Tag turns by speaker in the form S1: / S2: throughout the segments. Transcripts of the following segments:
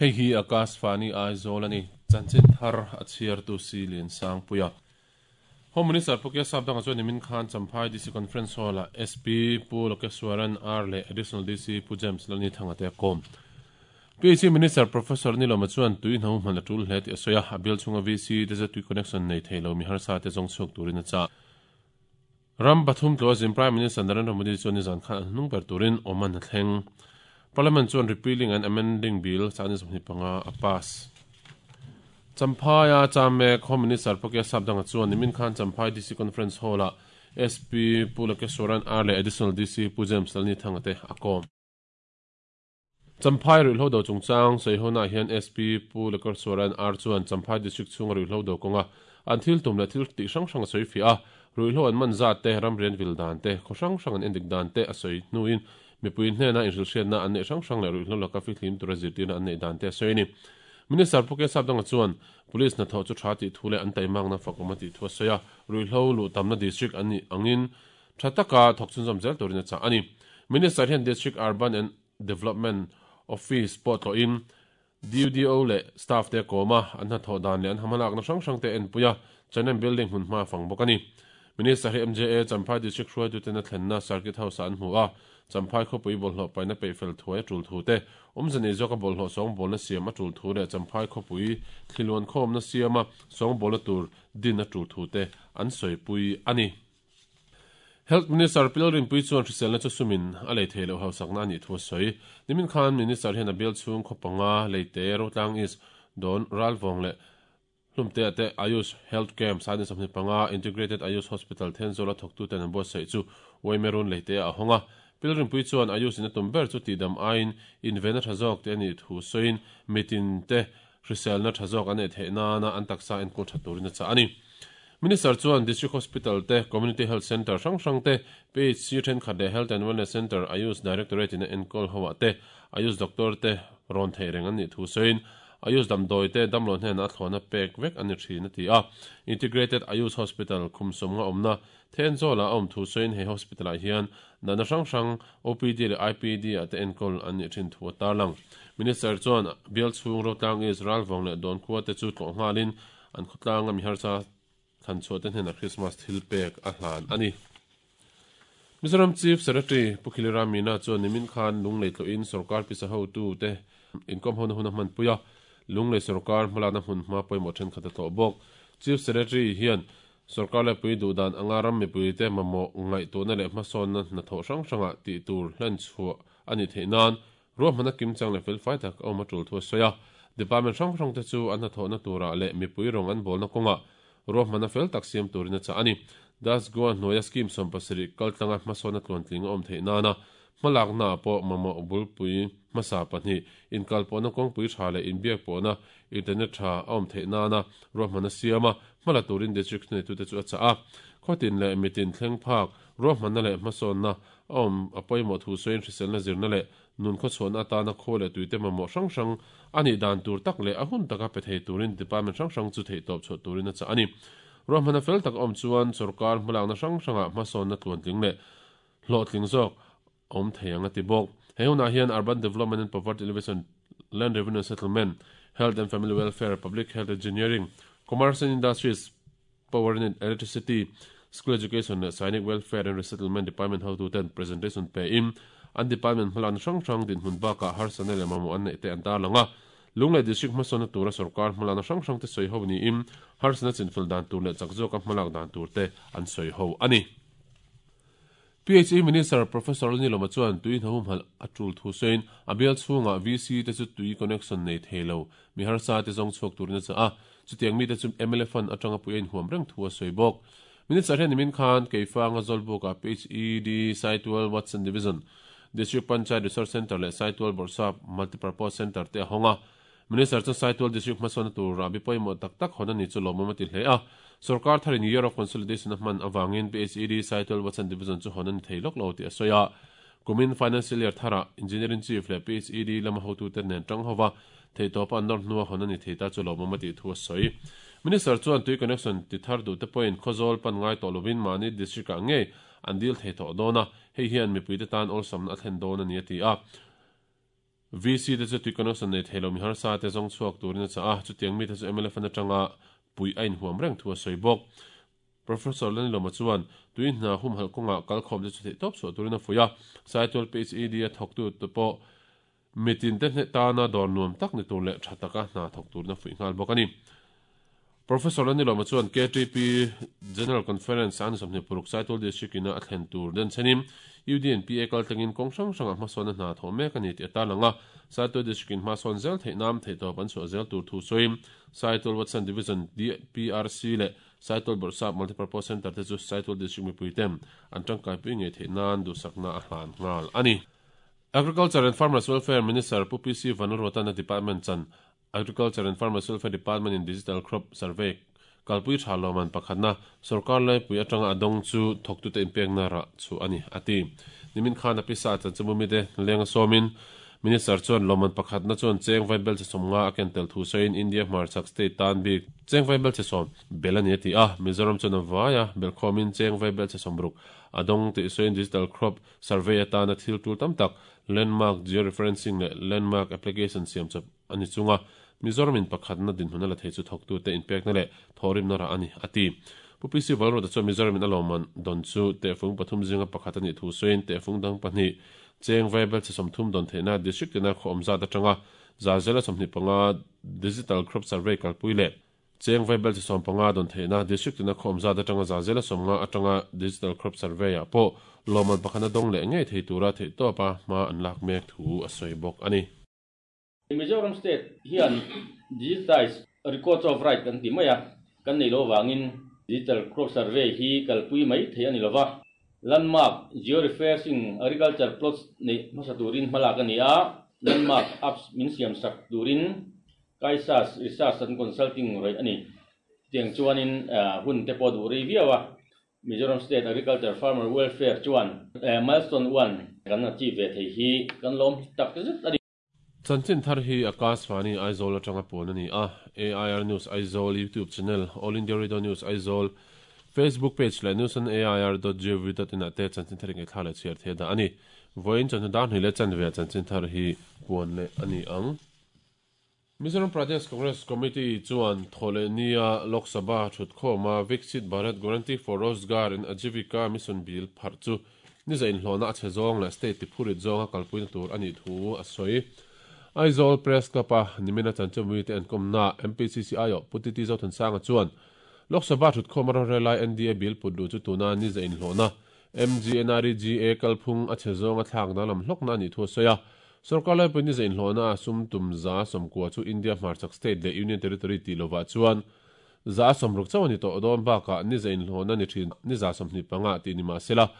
S1: Hei hi Akashvani Aizawl a ni. Chanchin thar a chhiartu si Liansangpuia. Home Minister Pu Kesap dangah chuan nimin khan Champhai DC Conference Hall-ah SP Pu Lokeswaran R leh Additional DC Pu James Lalnithanga te a kawm. PHE Minister Professor Nilawma chuan tui hno hman a tul hle tih a sawi a, a bial chhunga VC te chu tui connection nei thei lo mi harsa te zawng chhuak turin a chah. Ram pathum tlawh zin Prime Minister Narendra Modi chuan nizan khan an hnung ber turin Oman a thleng. Parliament chuan Repealing and Amending Bill 2025 a pass. Champhaia cham mek Home Minister Pawkia Sapdanga chuan nimin khan Champhai DC Conference Hall-ah SP Pu Lokeswaran R leh Additional DC Pu James Lalnithanga te a kawm. Champhai ruihhlo do chungchang sawihona ah hian SP Pu Lokeswaran R chuan Champhai District chhunga ruihhlo do kawnga an thil tum leh thil tih hrang hrang a sawi fiah a, ruihhlo an man zat te, ramrian vil dan te, khaw hrang hrang an endik dan te a sawi hnuin mipui hnena inhrilhhriatna an neih hrang hrang leh ruihhlo laka fihlim tura zirtirna an neih dan te a sawi a ni. Minister Pu Kesap Danga chuan Police hnathawh chu tha tih thu leh an taimakna fakawm a tih thu a sawi a, ruihhlo luh tamna district an nih angin tha taka thawk chhunzawm zel turin a chah a ni. Minister hian District Urban and Development Office pawh tlawhin DUDO leh staff te a kawm a, an hnathawh dan leh an hmalakna hrang hrang te a enpui a, Chanem Building hmunhma a fang bawk a ni. Minister hi MJA Champhai District hruaituten a thlenna Circuit House-ah an hmu a, Champhai khawpui bawlhhlawh paihna peihfel thuai a tul thu te, awmze nei zawka bawlhhlawh sawngbawlna siam a tul thu leh Champhai khawpui thliluan khawmna siama sawngbawlna tur din a tul thu te an sawipui a ni. Health Minister Pi Lalrinpuii chuan hriselna chu sumin a lei thei loh hausakna a nih thu a sawi. Nimin khan Minister hian a bial chhung khaw panga, Leite, Rotlang East, Dawn, Ralvawng leh Hlumtea te Ayush Health Camp Sani 25 Integrated Ayush Hospital Thenzawl a thawktuten an buatsaih chu Uaimerun Leitea a hawng a. Pilrinpui chuan Ayush in a tum ber chu tihdam aiin invenna tha zawk te a nih thu sawiin mitin te hriselna tha zawk an neih theih nana an taksa enkawl tha turin a chah a ni. Minister chuan District Hospital te, Community Health Centre hrang hrang te, PHC thenkhat leh Health and Wellness Centre Ayush Directorate in a enkawl ho ah te Ayush Doctor te rawn theih reng an nih thu sawiin Ayush damdawi te damlo hnenah a thlawhna pek vek a ni thin a ti a. Integrated Ayush Hospital khum sawmnga awmna Thenzawl-ah a awm thu sawiin he hospital-ah hian natna hrang hrang OPD leh IPD ah te enkawl an nih thin thu a tarlang. Minister chuan bial chhung Rotlang East, Ralvawng leh Dawnkhua te chu tlawh nghalin an khawtlanga mi harsa thlanchhuah te hnenah Christmas thil pek a hlan a ni. Mizoram Chief Secretary Pu Khilira Meena chuan nimin khan Lunglei tlawhin sorkar pisa hotute inkawm hona hun a hmanpui a, Lunglei sorkar hmalakna hmunhma pawimawh thenkhat a tlawh bawk. Chief Secretary hian sorkar laipui duhdan anga ram mipuite mamawh ngaihtuahna leh hmasawnna hnathawh hrang hrangah tih tur hlenchhuah a nih theih nan ruahmanna kimchang leh felfai tak a awm a tul thu a sawi a. Department hrang hrangte chu an hnathawhna turah leh mipui rawng an bawlna kawngah Ruahmanna fel tak siam turin a chah a ni. Das Goa hnuaia scheme 70 kaltlanga hmasawnna tluantling a awm theih nana hmalaknaah pawh mamawh bulpui hmasa pahnih, inkalpawhna kawngpui tha leh inbiakpawhna internet tha a awm theih nana ruahmanna siama hmala turin district thuneitute chu a chah a. Khawtin leh mitin thleng phak ruahmanna leh hmasawnna a awm a pawimawh thu sawiin hriselna zirna leh Nun khawchhuahna atana khaw leh tuite mamawh hrang hrang a nih dan tur tak leh a hun taka pe thei turin department hrang hrang chu theihtawp chhuah turin a chah a ni. Ruahmanna fel tak a awm chuan sorkar hmalakna hrang hrangah hmasawnna tluantling leh hlawhtling zawk a awm thei ang a ti bawk. He hunah hian Urban Development and Poverty Alleviation, Land Revenue and Settlement, Health and Family Welfare, Public Health Engineering, Commerce and Industries, Power and Electricity, School Education leh Sainik Welfare and Resettlement Department hotuten presentation pein an department hmalakna hrang hrang dinhmun bakah harsatna leh mamawh an neih te an tarlang a. Lunglei District hmasawnna tura sorkar hmalakna hrang hrang te sawi ho niin harsatna chinfel dan tur leh chak zawka hmalak dan tur te an sawi ho a ni. PHE Minister Professor Lalnilawma chuan tui hnahumhalh a tul thu sawiin a bial chhungah VC te chu tui connection nei thei lo mi harsa te zawng chhuak turin a chah a, chutiang mite chu mla fund atanga pui a inhuam reng thu a sawi bawk. Minister hian nimin khan Keifanga Zawlbukah PHED Saitual Watson Division, District Panchayat Resource Centre leh Saitual Bawrhsap Multipurpose Centre te a hawng a. Minister chuan Saitual District hmasawnna tur rahbi pawimawh tak tak hawn a ni chu lawmawm a ti hle a. Sorkar tharin Year of Consolidation a hman avangin PHED Saitual Watson Division chu hawn a ni thei lawk lo tih a sawi a. Kumin Financial Year tharah Engineering Chief leh PHED lama hotute nen tang hova theihtawpa an nawr hnua hawn a ni thei ta chu lawmawm a tih thu a sawi. Minister chuan tui connection ti thar duh te pawhin Khawzawl pan ngai tawh lovin mahni district ah ngei an dil thei tawh dawn a, hei hian mipuite tan awlsamna a thlen dawn a ni a ti a. VC te chu tui connection nei thei lo mi harsa te zawng chhuak turin a chah a, chutiang mite chu mla fan atanga puih a inhuam reng thu a sawi bawk. Professor Lanilawma chuan tui hna humhalh kawngah kalkhawm te chu theihtawp chhuah turin a fuih a, Saitual PHED a thawktu te pawh Mitin te hneh tana dawr nuam tak ni tur leh tha taka hna thawk turin a fuih nghal bawk a ni. Professor Lanilawma chuan KTP General Conference a ni 26 Saitual District ina a thlen tur den chenin UDNPA kaltlangin kawng hrang hrangah hmasawnna hna thawh mek a ni tih a tarlang a. Saitual District in hmasawn zel theih nan theihtawp an chhuah zel tur thu sawiin Saitual Watson Division DPRC leh Saitual Bawrhsap Multipurpose Centre te chu Saitual District mipuiten an tangkaipui ngei theih nan duhsakna a hlan nghal a ni. Agriculture and Farmers Welfare Minister Pu PC Vanlalruatana Department chan Agriculture and Farmers Welfare Department in Digital Crop Survey kalpui tha lawmman pakhatna sorkar laipui atanga a dawng chu thawktute inpekna rah chu a ni, a ti. Nimin khan a pisa chanchinbumite lenga sawmin Minister chuan lawmman pakhatna chuan cheng vaibel che 50 a ken tel thu sawiin India hmarchhak state tan bik cheng vaibel che 10 bel a ni a ti a, Mizoram chuan a vaia belkhawmin cheng vaibel che 60 a dawng tih sawiin Digital Crop Survey atana thil tul tam tak Landmark Georeferencing leh Landmark Application siam chawp a ni chung a, Mizoram in pakhatna dinhmun a la thei chu thawktute inpekna leh thawhrimna rah a ni, a ti. Pu PC Valruata chuan Mizoram in a lawmman dawn chu tehfung pathum zinga pakhat a nih thu sawiin tehfung dang pahnih cheng vaibel chhe 30 dawn theihna District tina khaw awm zat atanga zazela 25 Digital Crop Survey kalpui leh Cheng vaibel chi 15 dawn theihna District tina khaw awm zat atanga zazela 50 atanga Digital Crop Survey ah pawh lawmman pakhatna dawng leh ngei thei tura theihtawpa hma an lak mek thu a sawi bawk a ni.
S2: Mizoram State hian Digitized Records of Right kan ti mai a, kan nei lo avangin Digital Crop Survey hi kalpui mai thei a ni lova. Landmark Georeferencing Agriculture Plots neih hmasa turin hmalak a ni a, Landmark Apps min siamsak turin Kaisas Research and Consulting rawih a ni. Chutiang chuanin hun te pawh duh rei viau a, Mizoram State Agriculture Farmer Welfare chuan Milestone One kan achieve ve thei hi kan lawm tak zet a ni.
S1: Chanchin thar hi Akashvani Aizawl atanga puan a ni a, AIR News Aizawl YouTube channel, All India Radio News Aizawl Facebook page leh newsonair dot gov dot in ah te chanchin thar ingaihthla leh chhiar thei a dah a ni. Vawiin chawhnu dar hnih leh chanve ah chanchin thar hi puan leh a ni ang. Mizoram Pradesh Congress Committee chuan Thawhlehnia Lok Sabha thutkhawma Viksit Bharat Guarantee for Rozgar and Ajeevika Mission Bill pharh chu niza inhlawhna a chhe zawng leh state tiphurit zawnga kalpuina tur a nih thu a sawi. Aizawl Press Club-a nimina chanchinmui te enkawmnaah MPCC aiawh Pu Titi Zothansanga chuan Lok Sabha thutkhawma rorelai NDA bill put luh chu tuna niza inhlawhna MGNREGA kalphung a chhe zawnga thlak danglam hlawkna a nih thu a sawi a. Sorkar laipui ni zainhlawhna a sum tum 190 chu India hmarchhak state leh Union Territory tih lovah chuan 60 chauh a ni tawh dawn bakah ni zainhlawhna ni thin ni 25 tih ni mah sela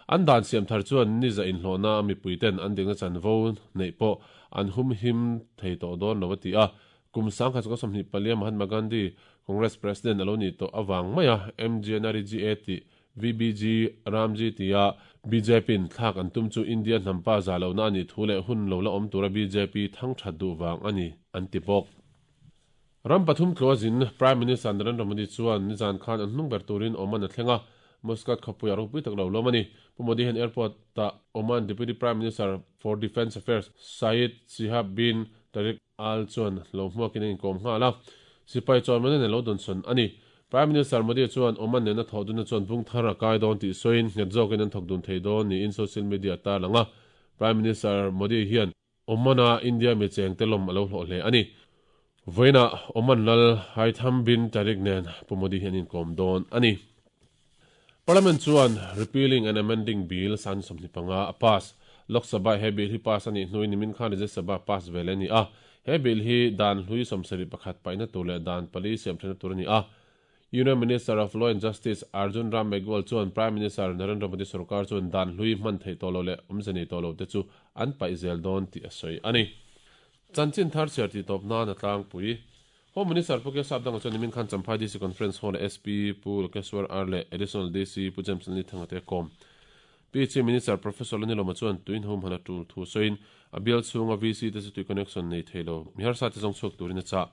S1: an dan siam thar chuan ni zainhlawhna a mipuiten an dikna chanvo neih pawh an humhim thei tawh dawn lo a ti a. Kum 1924 Mahatma Gandhi Congress President a lo nih tawh avang maia MGNREGA tih VBG, Ramji tia BJP-in thlak an tum chu India hnampa zah lohna a nih thu leh hun lo la awm tura bjp thang that duh vang a ni, an ti bawk. Ram pathum tlua zin Prime Minister Narendra Modi chuan nizan khan an hnung ber turin Oman a thleng a, Muscat khawpuiah ropui tak lo lawm a ni. Pu Modi hian airport-ah Oman Deputy Prime Minister for Defence Affairs Said Shihab bin Tariq Al chuan lo hmuakin a inkawm nghal a, sipai chawimanin a lo dawnsawn a ni. Prime Minister Modi chuan Oman nena thawh dunna chuan bung thar a kai dawn tih sawiin nghet zawkin an thawk dun thei dawn niin social media a tarlang a. Prime Minister Modi hian Oman-a India mi chengte lawm a lo hlawh hle a ni. Vawiinah Oman lal Haitham bin Tariq nen Pu Modi hi an inkawm dawn a ni. Parliament chuan Repealing and Amending Bill 25 a pass. Lok Sabha he bill hi pass a nih hnuin nimin khan Rajya Sabha pass ve leh a ni a. He bill hi dan hlui 71 paihna tur leh dan pali siamthenna tur a ni a. Union Minister of Law and Justice Arjun Ram Meghwal chuan Prime Minister Narendra Modi sorkar chuan dan hlui hman theih tawh lo leh awmze nei tawh lo te chu an paih zel dawn tih a sawi a ni. Chanchin thar chhiar tih tawp nan a tlangpui. Home Minister Pu Kesap Danga chuan nimin khan Champhai DC Conference Hall-a SP Pu Lokeswar R leh Additional DC Pu James Lalnithanga te a kawm. PHE Minister Professor Lanilawma chuan tuin humhal a tul thu sawiin a bial chhunga VC te chu tui connection nei thei lo mi harsa te zawng chhuak turin a chah.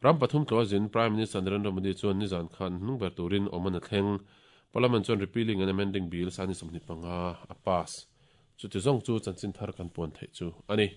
S1: Ram pathum tlawh zin Prime Minister Narendra Modi chuan nizan khan hnung ber turin Oman a thleng. Parliament chuan Repealing and Amending Bill 25 a pass. Chuti zawng chu chanchin thar kan puan theih chu a ni.